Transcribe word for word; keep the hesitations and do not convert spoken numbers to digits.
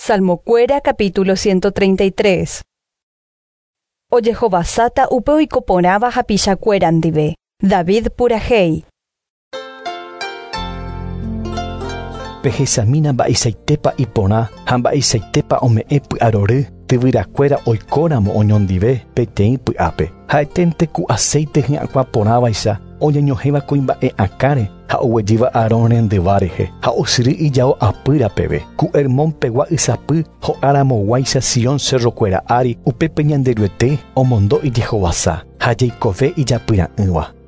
Salmokuéra capítulo ciento treinta y tres. Ojehovasáta upe oikoporãva hapichakuéra ndive. David purahéi. Pehechamína mba'eichaitépa iporã ha mba'eichaitépa ome'ẽ py'arory tyvyrakuéra oikóramo oñondive peteĩ py'ápe. Ha'eténte ku aceite hyakuã porãvaicha oñeñohẽva kuimba'e akãre ha oguejýva Aarón rendyva rehe ha osyry ijao apýra peve. Ku Hermón pegua ysapy ho'aramoguáicha Sion cerrokuéra ári, upépe Ñanderuete omondo ijehovasa ha jeikove ijapyra'ỹva.